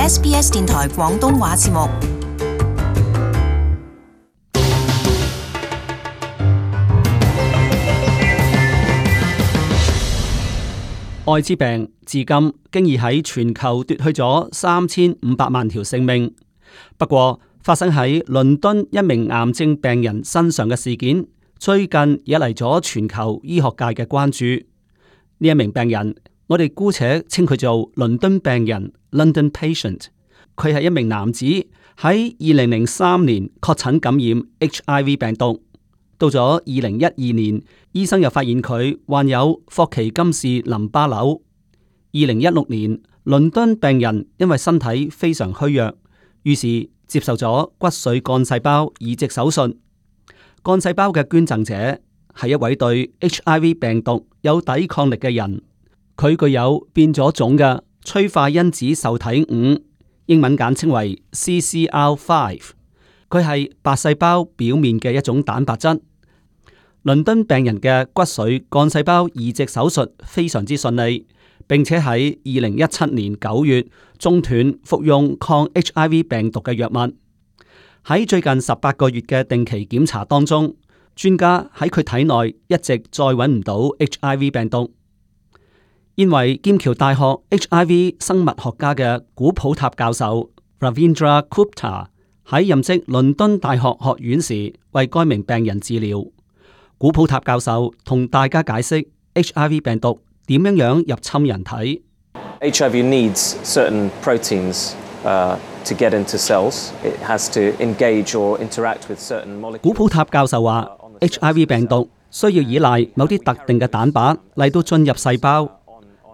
SBS 電台廣東話節目。艾滋病至今經已喺全球奪去咗3500萬條性命。不過，發生喺倫敦一名癌症病人身上嘅事件，最近惹嚟咗全球醫學界嘅關注。呢一名病人，我哋姑且稱佢做倫敦病人 （London Patient）。佢係一名男子，喺2003年確診感染 HIV 病毒。到咗2012年，醫生又發現佢患有霍奇金氏淋巴瘤。2016年，倫敦病人因為身體非常虛弱，於是接受咗骨髓幹細胞移植手術。幹細胞嘅捐贈者係一位對 HIV 病毒有抵抗力嘅人，佢具有變咗種嘅催化因子受體5，英文簡稱為 CCR5。佢係白細胞表面嘅一種蛋白質。倫敦病人嘅骨髓幹細胞移植手術非常之順利，並且喺2017年9月中斷服用抗 HIV 病毒嘅藥物。喺最近18個月嘅定期檢查當中，專家喺佢體內一直再揾唔到 HIV 病毒。現為劍橋大學 HIV 生物學家嘅古普塔教授 Ravindra Gupta 喺任職倫敦大學學院時，為該名病人治療。古普塔教授同大家解釋 HIV 病毒點樣入侵人體。HIV needs certain proteins to get into cells. It has to engage or interact with certain molecules. 古普塔教授話 HIV 病毒需要依賴某啲特定嘅蛋白嚟到進入細胞。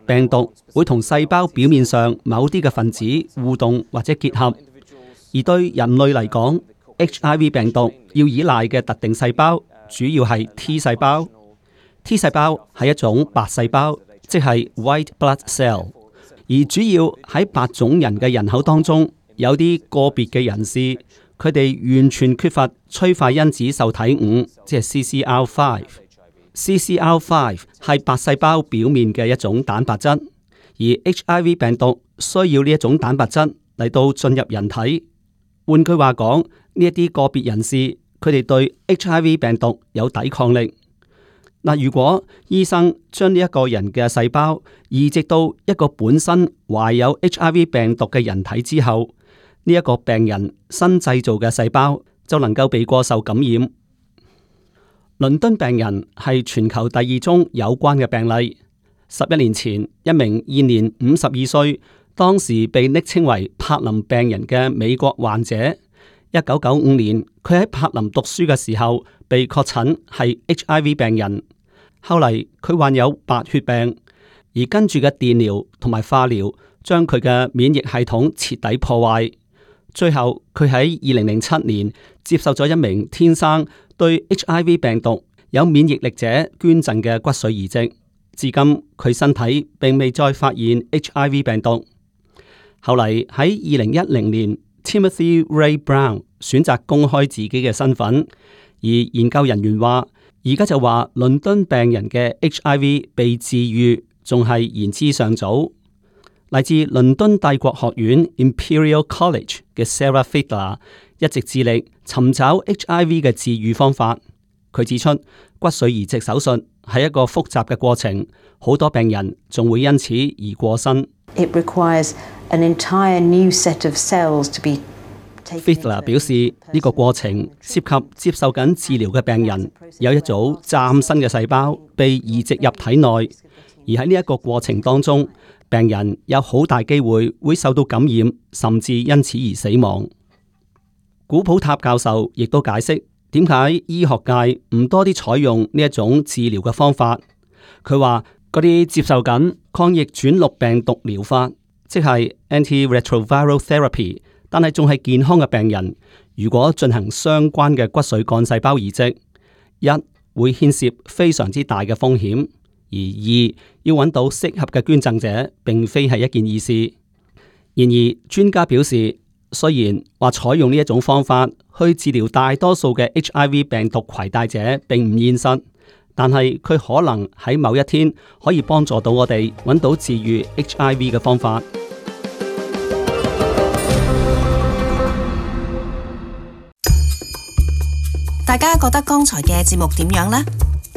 病毒會同細胞表面上某啲嘅分子互動或者結合。而對人類嚟講， HIV 病毒要依賴嘅特定細胞主要係 T 細胞。T 細胞係一種白細胞，即係 white blood cell。而主要喺白種人嘅人口當中，有啲個別嘅人士，佢哋完全缺乏催化因子受體5，即係 CCR5。CCR5 係白細胞表面嘅一種蛋白質，而 HIV 病毒需要呢一種蛋白質嚟到進入人體。換句話講，呢一啲個別人士，佢哋對 HIV 病毒有抵抗力。嗱，如果醫生將呢一個人嘅細胞移植到一個本身懷有 HIV 病毒嘅人體之後，呢一個病人新製造嘅細胞就能夠避過受感染。倫敦病人係全球第2宗有關嘅病例。11年前，一名現年52歲，當時被昵稱為柏林病人嘅美國患者，1995年佢喺柏林讀書嘅時候被確診係 HIV 病人。後嚟佢患有白血病，而跟住嘅電療同埋化療將佢嘅免疫系統徹底破壞。最後佢喺2007年接受咗一名天生對 HIV 病毒有免疫力者捐贈嘅骨髓移植。至今佢身體並未再發現 HIV 病毒。後嚟喺2010年 Timothy Ray Brown 選擇公開自己嘅身份，而研究人員話而家就話倫敦病人嘅 HIV 被治癒仲係言之尚早。嚟自倫敦帝國學院 Imperial College 嘅 Sarah Fiedler 一直致力尋找 HIV 嘅治癒方法。佢指出，骨髓移植手術係一個複雜嘅過程，好多病人仲會因此而過身。It requires an entire new set of cells to be Fiedler 表示，呢個過程涉及接受緊治療嘅病人有一組嶄新嘅細胞被移植入體內，而喺呢一個過程當中，病人有好大機會會受到感染，甚至因此而死亡。古普塔教授亦都解釋點解醫學界唔多啲採用呢一種治療嘅方法。佢話嗰啲接受緊抗逆轉錄病毒療法，即係 antiretroviral therapy，但係仲係健康嘅病人，如果進行相關嘅骨髓幹細胞移植，一會牽涉非常之大嘅風險，而二要揾到適合嘅捐贈者，並非係一件易事。然而，專家表示，雖然話採用呢一種方法去治療大多數嘅 HIV 病毒攜帶者並唔現實，但係佢可能喺某一天可以幫助到我哋揾到治癒 HIV 嘅方法。大家覺得剛才嘅節目點樣呢？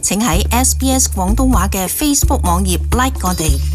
請喺SBS 廣東話嘅 Facebook 網頁 like 我哋。